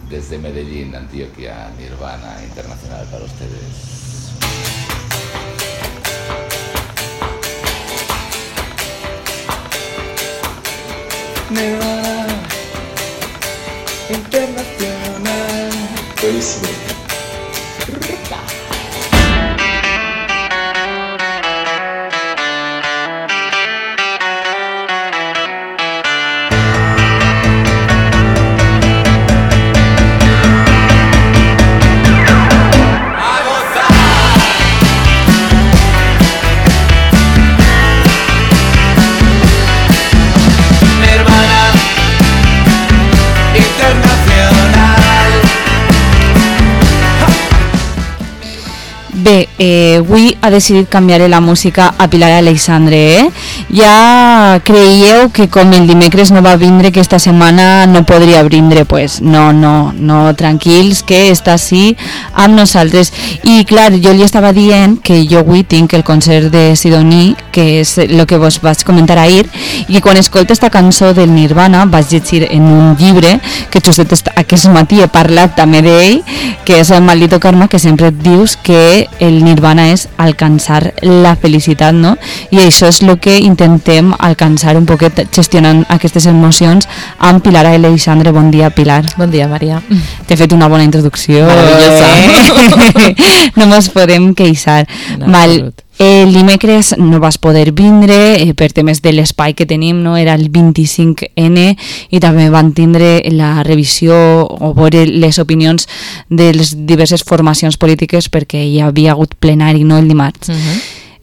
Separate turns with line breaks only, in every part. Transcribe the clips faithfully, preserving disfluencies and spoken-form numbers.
desde Medellín, Antioquia, Nirvana Internacional para ustedes. Nirvana Internacional. Buenísimo.
Bé, eh, avui ha decidit canviar la música a Pilar Aleixandre, eh? Ja creieu que com el dimecres no va vindre, que esta setmana no podria vindre, pues no, no, no, tranquils, que està així amb nosaltres. I clar, jo li estava dient que jo avui tinc el concert de Sidoní, que és el que vos vaig comentar ahir, i quan escolto esta cançó del Nirvana vaig llegir en un llibre que justet aquest matí he parlat també d'ell, que és el Maldito Karma, que sempre et dius que el Nirvana és alcançar la felicitat, no? I això és el que intentem alcançar un poquet gestionant aquestes emocions amb Pilar Aleixandre. Bon dia, Pilar.
Bon dia, Maria.
T'he fet una bona introducció.
Maravillosa.
Eh? No ens podem queixar.
No,
Val. El dimecres no vas poder vindre eh, per temes de l'espai que tenim, no? Era el vint-i-cinc ene i també van tindre la revisió o veure les opinions de les diverses formacions polítiques perquè hi havia hagut plenari, no, el dimarts. Uh-huh.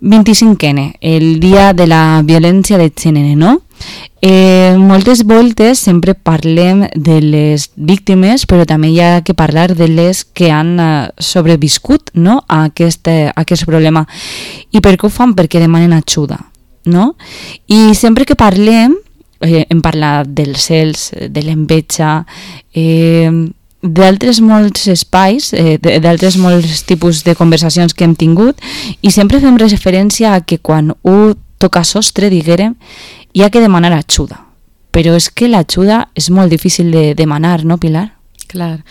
vint-i-cinc ene, el dia de la violència de gènere, no? Eh, moltes voltes sempre parlem de les víctimes, però també hi ha que parlar de les que han uh, sobreviscut, no? a, aquest, a aquest problema. I per què ho fan? Perquè demanen ajuda, no? I sempre que parlem, eh, hem parlat dels cels, de l'enveja, eh, d'altres molts espais, eh, d'altres molts tipus de conversacions que hem tingut, i sempre fem referència a que quan un toca sostre, diguérem, hi ha que demanar ajuda. Però és que l'ajuda és molt difícil de demanar, no, Pilar?
Clar.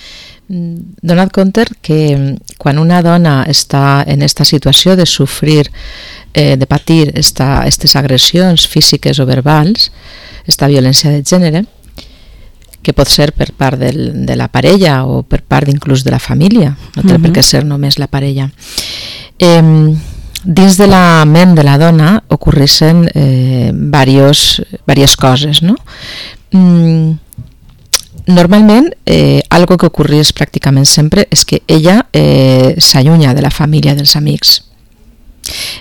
Dona't compte que quan una dona està en aquesta situació de sofrir, eh, de patir aquestes agressions físiques o verbals, aquesta violència de gènere, que pot ser per part del, de la parella o per part inclús de la família, no té uh-huh. per què ser només la parella. Eh, dins de la ment de la dona ocorreixen eh, varios, varias coses, no? Mm, normalment, eh, algo que ocorreix pràcticament sempre és que ella eh, s'allunya de la família, dels amics.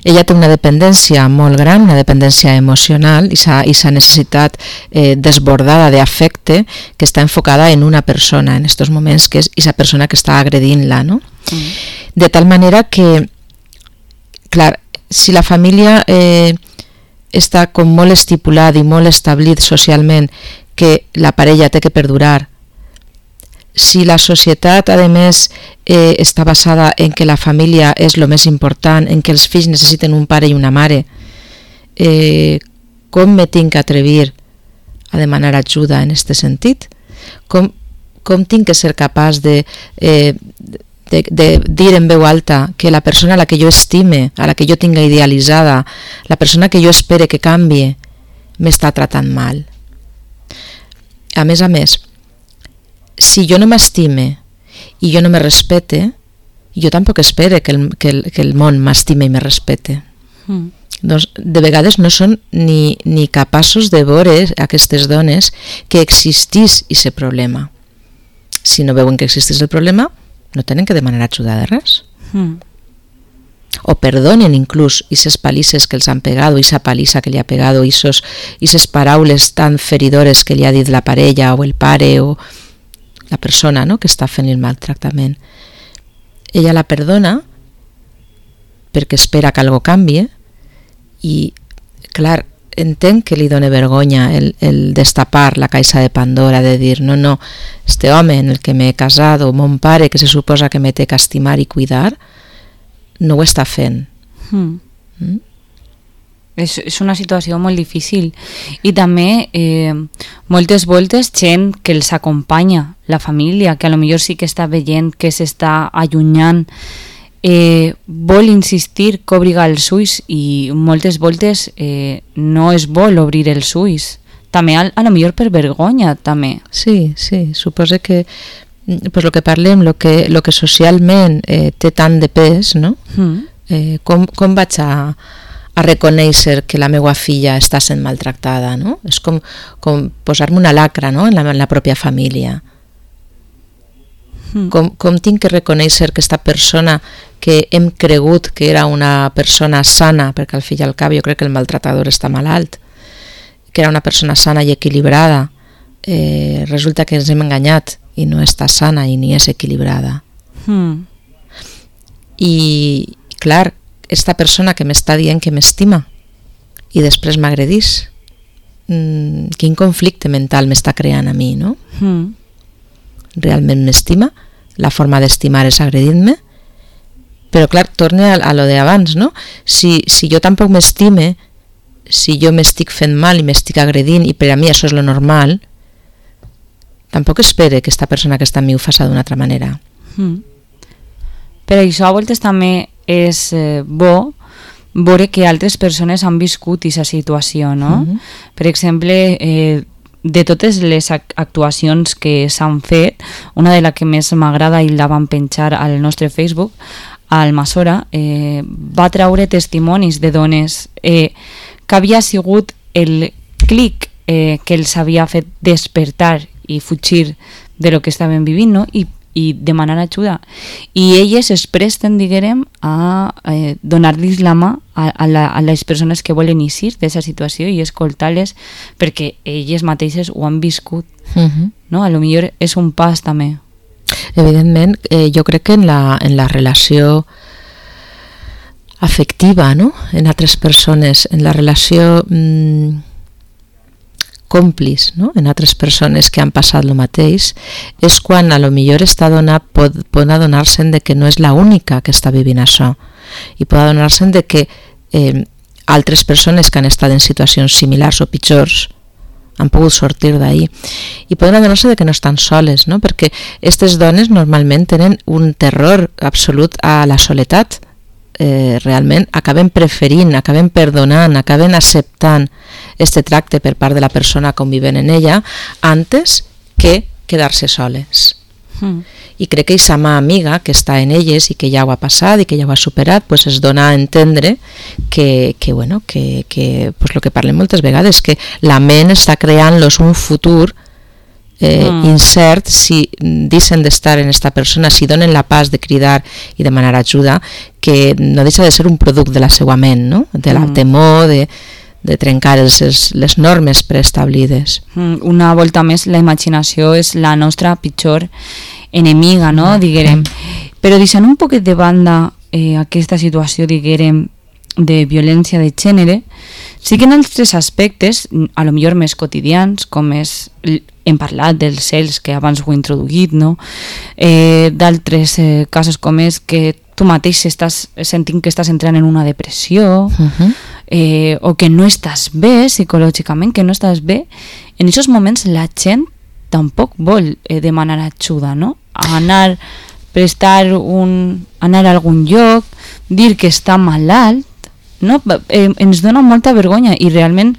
Ella té una dependència molt gran, una dependència emocional i sa necessitat eh, desbordada d'afecte que està enfocada en una persona en aquests moments, que és aquesta persona que està agredint-la, no? Mm. De tal manera que, clar, si la família eh, està com molt estipulat i molt establit socialment que la parella té que perdurar, si la societat, a més, eh, està basada en que la família és el més important, en que els fills necessiten un pare i una mare, eh, com me tinc que atrevir a demanar ajuda en aquest sentit? Com, com tinc que ser capaç de, eh, de, de dir en veu alta que la persona a la que jo estime, a la que jo tinga idealitzada, la persona que jo espere que canvie, m'està tratant mal? A més a més, si jo no m'estime i jo no me respete, jo tampoc espere que el, que el, que el món m'estime i me respete. Mm. Doncs de vegades no són ni, ni capaços de veure aquestes dones que existís aquest problema. Si no veuen que existís el problema, no tenen que demanar ajuda de res. Mm. O perdonen inclús aquestes palisses que els han pegat, o aquesta palissa que li ha pegat, o aquestes paraules tan feridores que li ha dit la parella o el pare o la persona, no?, que està fent el maltractament. Ella la perdona perquè espera que algo canvie i, clar, entenc que li dona vergonya el, el destapar la caixa de Pandora, de dir, no, no, este home en el que m'he casat o mon pare que se suposa que me té que estimar i cuidar, no ho està fent. Mm. Mm?
És, és una situació molt difícil. I també eh, moltes voltes gent que els acompanya, la família, que a lo millor sí que està veient que s'està allunyant, eh, vol insistir que obriga els ulls i moltes voltes eh, no es vol obrir els ulls. També a, a lo millor per vergonya, també.
Sí, sí, suposo que pues lo que parlem, lo que, lo que socialment eh, té tant de pes, no? Mm. Eh, com, com vaig a a reconèixer que la meva filla està sent maltractada, no? És com, com posar-me una lacra, no? en, la, en la pròpia família. Mm. Com, com tinc que reconèixer que aquesta persona que hem cregut que era una persona sana, perquè al fill i al cap jo crec que el maltratador està malalt, que era una persona sana i equilibrada, eh, resulta que ens hem enganyat i no està sana i ni és equilibrada. Mm. I, clar, esta persona que m'està dient que m'estima i després m'agredís, mm, quin conflicte mental m'està creant a mi, no? Mm. Realment m'estima? La forma d'estimar és agredir-me? Però clar, torne a, a lo d'abans, no? Si, si jo tampoc m'estime, si jo m'estic fent mal i m'estic agredint i per a mi això és lo normal, tampoc espere que esta persona que està amb mi ho faci d'una altra manera.
Mm. Per això a voltes també és eh, bo veure que altres persones han viscut aquesta situació, no? Mm-hmm. Per exemple, eh, de totes les actuacions que s'han fet, una de les que més m'agrada i la van penjar al nostre Facebook, al Masora, eh, va traure testimonis de dones eh, que havia sigut el clic eh, que els havia fet despertar i fugir de lo que estaven vivint, no? I i demanar ajuda. I elles es presten, diguem, a eh, donar-los la mà a, a, la, a les persones que volen eixir d'aquesta situació i escoltar-les perquè elles mateixes ho han viscut. Uh-huh. No? A lo millor és un pas també.
Evidentment, eh, jo crec que en la, en la relació afectiva, no? En altres persones, en la relació mmm, còmplice, no? En altres persones que han passat el mateix, és quan a lo millor esta dona pot, pot adonar-se'n de que no és la única que està vivint això i pot adonar-se'n de que eh, altres persones que han estat en situacions similars o pitjors han pogut sortir d'ahí i poden adonar-se de que no estan soles, no? Perquè aquestes dones normalment tenen un terror absolut a la soledat. Eh, realment acaben preferint, acaben perdonant, acaben acceptant este tracte per part de la persona convivent en ella antes que quedar-se soles. Mm. I crec que aquesta mà amiga que està en elles i que ja ho ha passat i que ja ho ha superat, pues es dona a entendre que, que, bueno, que, que pues lo que parlem moltes vegades, que la ment està creant-los un futur Eh, mm. incert si deixen d'estar en esta persona, si donen la pas de cridar i demanar ajuda, que no deixa de ser un producte de la seva ment, no? De la mm. temor, de, de trencar els, les normes preestablides.
Mm. Una volta més, la imaginació és la nostra pitjor enemiga, no? Mm. Diguem. Però deixant un poquet de banda eh, aquesta situació, diguem, de violència de gènere, sí que en altres aspectes, a lo millor més quotidians, com és, hem parlat dels cels que abans ho he introduït, no? Eh, d'altres eh, casos com és que tu mateix estàs sentint que estàs entrant en una depressió, uh-huh. eh, o que no estàs bé psicològicament, que no estàs bé, en aquests moments la gent tampoc vol eh, demanar ajuda, no? Anar, prestar un, anar a algun lloc, dir que està malalt, no? Eh, ens dona molta vergonya i realment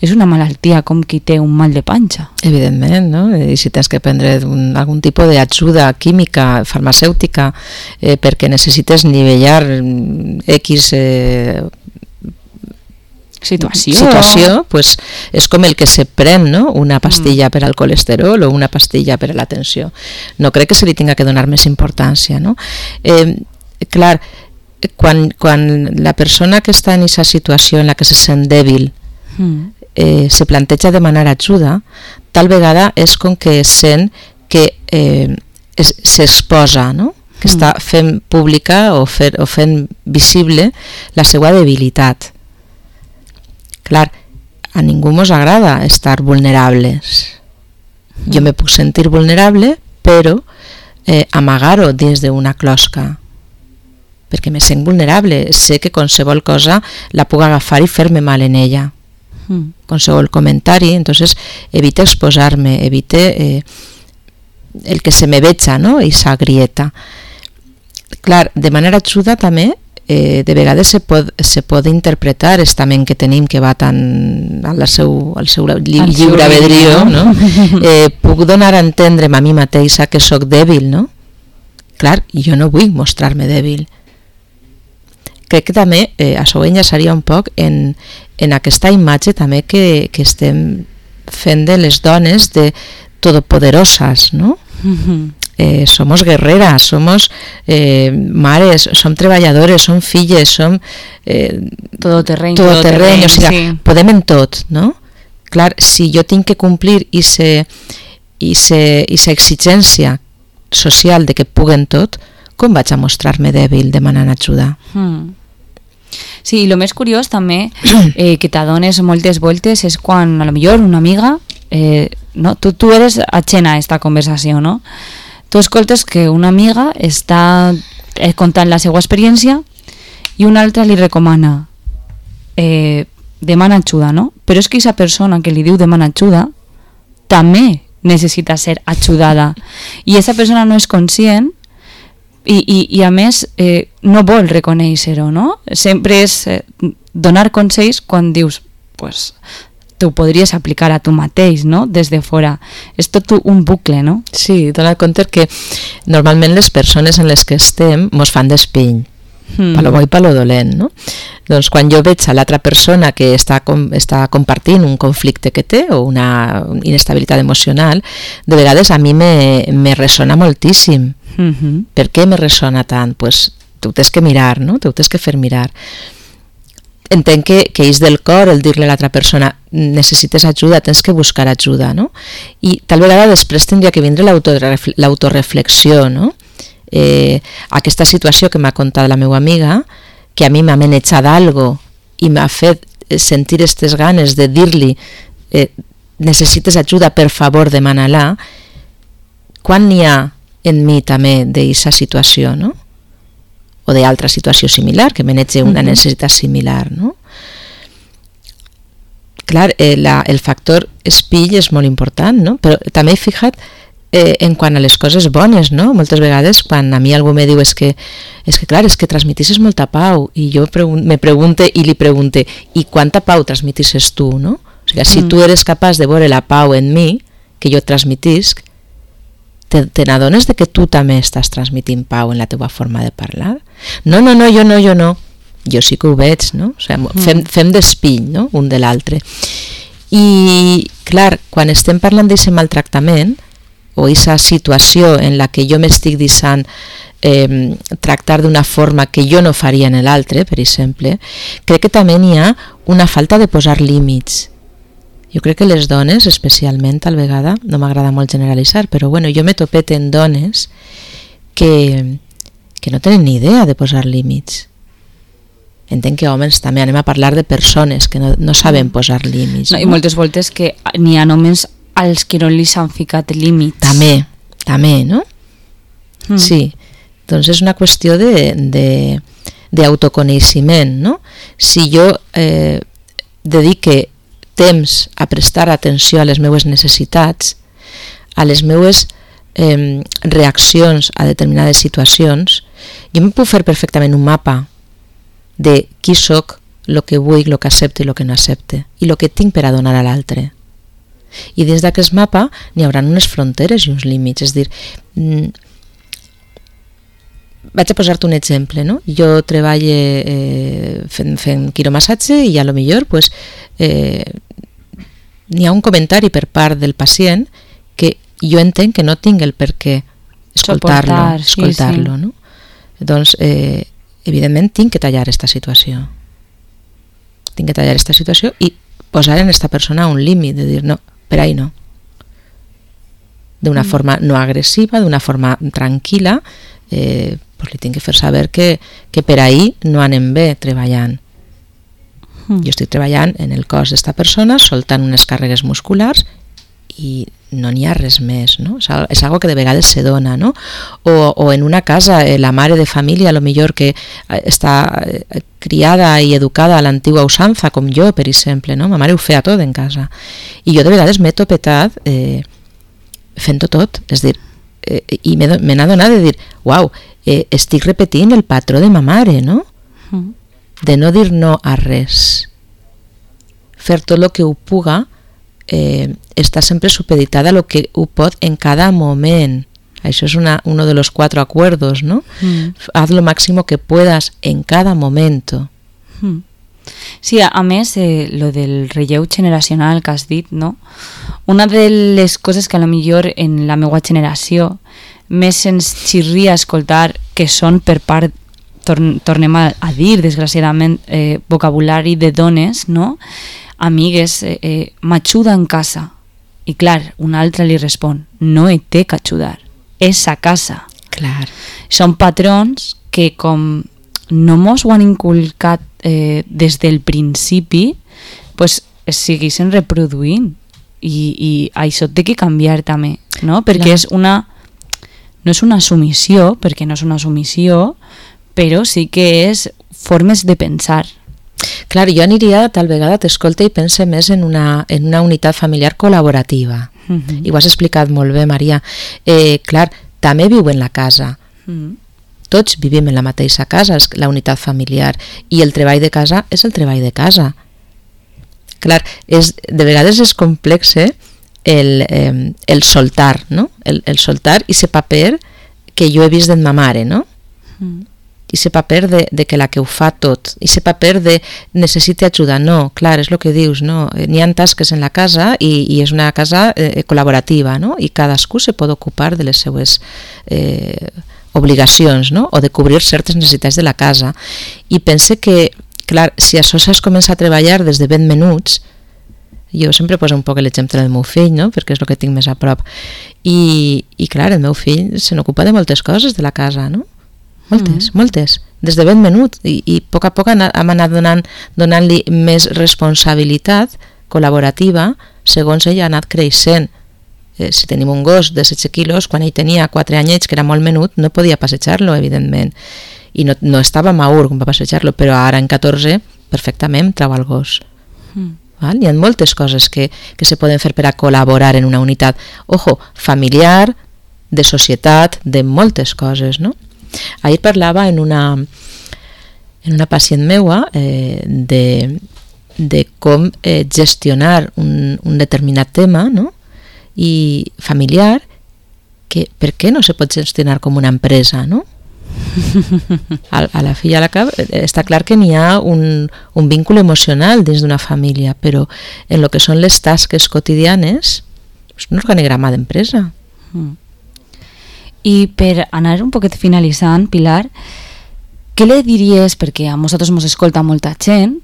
és una malaltia com qui té un mal de panxa.
Evidentment, no? I si tens que prendre un, algun tipus d'ajuda química, farmacèutica, eh, perquè necessites nivellar X eh,
situació,
situació pues, és com el que se pren, no? Una pastilla mm. per al colesterol o una pastilla per a la tensió. No crec que se li tinga que donar més importància, no? Eh, clar, quan, quan la persona que està en aquesta situació en la que se sent dèbil mm. eh, se planteja demanar ajuda, tal vegada és com que sent que eh, s'exposa, no? Que mm. està fent pública o, fer, o fent visible la seva debilitat. Clar, a ningú mos agrada estar vulnerables. Mm. Jo me puc sentir vulnerable, però eh, amagar-ho dins d'una closca. perquè me sent vulnerable, sé que qualsevol cosa la puc agafar i fer-me mal en ella. Mm. Qualsevol comentari, entonces evite exposar-me, evite eh, el que se me veja, no?, esa grieta. Clar, demanar ajuda també, eh, de vegades se pot, se pot interpretar estament que tenim que va tan al seu, al seu lli, al lliure albedrío, no? eh, puc donar a entendre'm a mi mateixa que sóc dèbil, no? Clar, jo no vull mostrar-me dèbil. Crec que també eh, això ho enllaçaria un poc en, en aquesta imatge també que, que estem fent de les dones de todopoderosas, no? Mm-hmm. Eh, somos guerreras, somos eh, mares, som treballadores, som filles, som eh,
todoterreny,
todoterreny, o sigui,
sí.
Podem en tot, no? Clar, si jo tinc que complir i aquesta exigència social de que puguen tot, com vaig a mostrar-me dèbil demanant ajuda?
Mm. Sí, i el més curiós també eh, que t'adones moltes voltes és quan a lo millor una amiga eh, no? tu, tu eres ajena a esta conversació, no? Tu escoltes que una amiga està eh, contant la seva experiència i una altra li recomana eh, demana ajuda, no? Però és que aquesta persona que li diu demana ajuda també necessita ser ajudada i aquesta persona no és conscient i, i, i a més eh, no vol reconèixer-ho, no? Sempre és eh, donar consells quan dius pues, tu podries aplicar a tu mateix, no? Des de fora. És tot un bucle, no?
Sí, dona compte que normalment les persones en les que estem mos fan d'espill, mm. pa lo bo i pa lo dolent, no? Doncs quan jo veig a l'altra persona que està, com, està compartint un conflicte que té o una inestabilitat emocional, de vegades a mi me, me ressona moltíssim. Mm-hmm. Per què me ressona tant? Pues tu tens que mirar, no? Tu tens que fer mirar. Entenc que, que és del cor el dir-li a l'altra persona necessites ajuda, tens que buscar ajuda, no? I tal vegada després tindria que vindre l'autoreflexió, no? Eh, aquesta situació que m'ha contat la meva amiga, que a mi m'ha manejat algo i m'ha fet sentir aquestes ganes de dir-li eh, necessites ajuda, per favor, demana-la, quan n'hi ha en mi també d'aquesta situació, no? O d'altra situació similar, que manege una necessitat similar, no? Clar, eh, la, el factor espill és molt important, no? Però també he fixat eh, en quant a les coses bones, no? Moltes vegades quan a mi algú me diu és que, és que clar, és que transmetisses molta pau i jo pregun me pregunte i li pregunte i quanta pau transmetisses tu, no? O sigui, si mm. tu eres capaç de veure la pau en mi, que jo transmetisc, te, te n'adones de que tu també estàs transmitint pau en la teva forma de parlar? No, no, no, jo no, jo no. Jo sí que ho veig, no? O sigui, fem, fem d'espill, no? Un de l'altre. I, clar, quan estem parlant d'aquest maltractament o aquesta situació en la que jo m'estic deixant eh, tractar d'una forma que jo no faria en l'altre, per exemple, crec que també n'hi ha una falta de posar límits. Jo crec que les dones, especialment, tal vegada, no m'agrada molt generalitzar, però bueno, jo m'he topet en dones que, que no tenen ni idea de posar límits. Entenc que homes també anem a parlar de persones que no, no saben posar límits.
No, no? I moltes voltes que n'hi ha homes als que no li s'han ficat límits.
També, també, no? Mm. Sí, doncs és una qüestió de, de, d'autoconeixement, no? Si jo eh, dedique temps a prestar atenció a les meues necessitats, a les meues eh, reaccions a determinades situacions, jo em puc fer perfectament un mapa de qui sóc, el que vull, el que accepto i el que no accepte, i el que tinc per a donar a l'altre. I dins d'aquest mapa n'hi haurà unes fronteres i uns límits, és a dir, mm, vaig a posar-te un exemple, no? Jo treballo eh, fent, fent quiromassatge i a lo millor pues, eh, n'hi ha un comentari per part del pacient que jo entenc que no tinc el per què escoltar-lo,
Soportar, sí,
escoltar-lo,
sí.
No? Doncs, eh, evidentment, tinc que tallar aquesta situació. Tinc que tallar aquesta situació i posar en aquesta persona un límit, de dir, no, per ahí no. D'una mm. forma no agressiva, d'una forma tranquil·la, eh, pues li tinc que fer saber que, que per ahí no anem bé treballant. Mm. Jo estic treballant en el cos d'esta persona, soltant unes càrregues musculars i no n'hi ha res més, no? És, és algo que de vegades se dona, no? O, o en una casa, eh, la mare de família, a lo millor que està eh, criada i educada a l'antigua usanza, com jo, per exemple, no? Ma mare ho feia tot en casa. I jo de vegades m'he topetat eh, fent-ho tot, és dir, eh, i me n'ha donat de dir, uau, eh, estic repetint el patró de ma mare, no? Mm. De no dir no a res. Fer tot el que ho puga, eh, està sempre supeditada a lo que ho pot en cada moment. Això és una, uno de los cuatro acuerdos, ¿no? Mm. Haz lo máximo que puedas en cada momento.
Mm. Sí, a, a més, eh, lo del relleu generacional que has dit, no? Una de les coses que a lo millor en la meva generació més ens xirria escoltar que són per part, torn, tornem a, a dir, desgraciadament, eh, vocabulari de dones, no? Amigues, eh, eh, m'ajuda en casa. I clar, una altra li respon, no et té que ajudar, és a casa.
Clar.
Són patrons que com no mos ho han inculcat eh, des del principi, pues es segueixen reproduint i, i això té que canviar també, no? Perquè és una no és una submissió, perquè no és una submissió, però sí que és formes de pensar.
Clar, jo aniria, tal vegada t'escolta i pense més en una, en una unitat familiar col·laborativa. Uh-huh. I ho has explicat molt bé, Maria. Eh, clar, també viu en la casa. Uh-huh. Tots vivim en la mateixa casa, és la unitat familiar. I el treball de casa és el treball de casa. Clar, és, de vegades és complex eh, el, eh, el soltar, no? El, el soltar i ese paper que jo he vist d'en ma mare, no? Uh-huh. I ese paper de, de que la que ho fa tot, i ese paper de necessite ajuda, no, clar, és el que dius, no, n'hi ha tasques en la casa i, i és una casa eh, col·laborativa, no, i cadascú se pot ocupar de les seues eh, obligacions, no, o de cobrir certes necessitats de la casa, i pense que, clar, si això s'has començat a treballar des de ben menuts, jo sempre poso un poc l'exemple del meu fill, no, perquè és el que tinc més a prop, i, i clar, el meu fill se n'ocupa de moltes coses de la casa, no, moltes, mm. moltes, des de ben menut i, i a poc a poc hem anat donant, donant-li més responsabilitat col·laborativa segons ell ha anat creixent. Eh, si tenim un gos de setze quilos, quan ell tenia quatre anyets, que era molt menut, no podia passejar-lo, evidentment, i no, no estava maur com va passejar-lo, però ara en catorze perfectament trau el gos. Mm. Val? Hi ha moltes coses que, que se poden fer per a col·laborar en una unitat, ojo, familiar, de societat, de moltes coses, no? Ahir parlava en una, en una pacient meua eh, de, de com eh, gestionar un, un determinat tema, no? I familiar, que per què no se pot gestionar com una empresa, no? A, a la fi i a la cap està clar que n'hi ha un, un vínculo emocional dins d'una família, però en lo que són les tasques quotidianes és un organigrama d'empresa. Mm.
I per anar un poquet finalitzant, Pilar, què li diries, perquè a nosaltres ens escolta molta gent,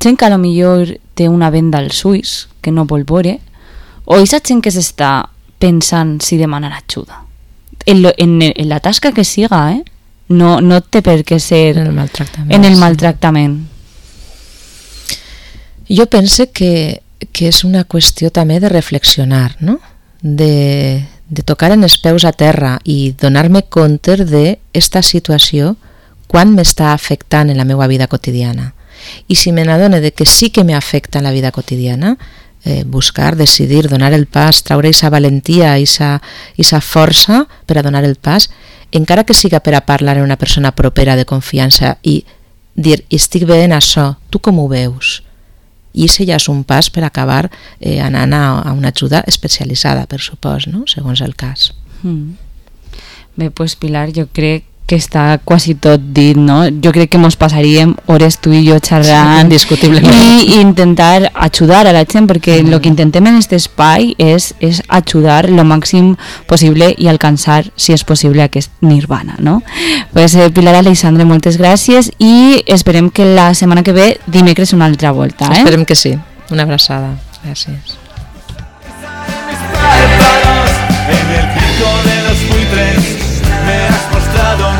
gent que a lo millor té una venda als ulls, que no vol veure, o aquesta gent que s'està pensant si demanar ajuda? En, lo, en, en la tasca que siga, eh? No, no té per què ser
en el maltractament.
En el maltractament.
Jo pense que, que és una qüestió també de reflexionar, no? De... de tocar en els peus a terra i donar-me compte d'esta situació quan m'està afectant en la meva vida quotidiana. I si me n'adone de que sí que m'afecta en la vida quotidiana, eh, buscar, decidir, donar el pas, traure aquesta valentia, aquesta força per a donar el pas, encara que siga per a parlar amb una persona propera de confiança i dir, estic bé en això, tu com ho veus? I això ja és un pas per acabar eh, anant a, a una ajuda especialitzada, per supòs, no? Segons el cas.
Mm. Bé, doncs Pilar, jo crec que està quasi tot dit, no? Jo crec que mos passaríem hores tu i jo xerrant,
sí, indiscutiblement,
i intentar ajudar a la gent, perquè el mm. que intentem en aquest espai és, és ajudar lo màxim possible i alcançar, si és possible, aquest nirvana, no? Pues, eh, Pilar Aleixandre, moltes gràcies i esperem que la setmana que ve dimecres una altra volta. Eh?
Esperem que sí. Una abraçada. Gràcies. En el pico de los buitres me has mostrado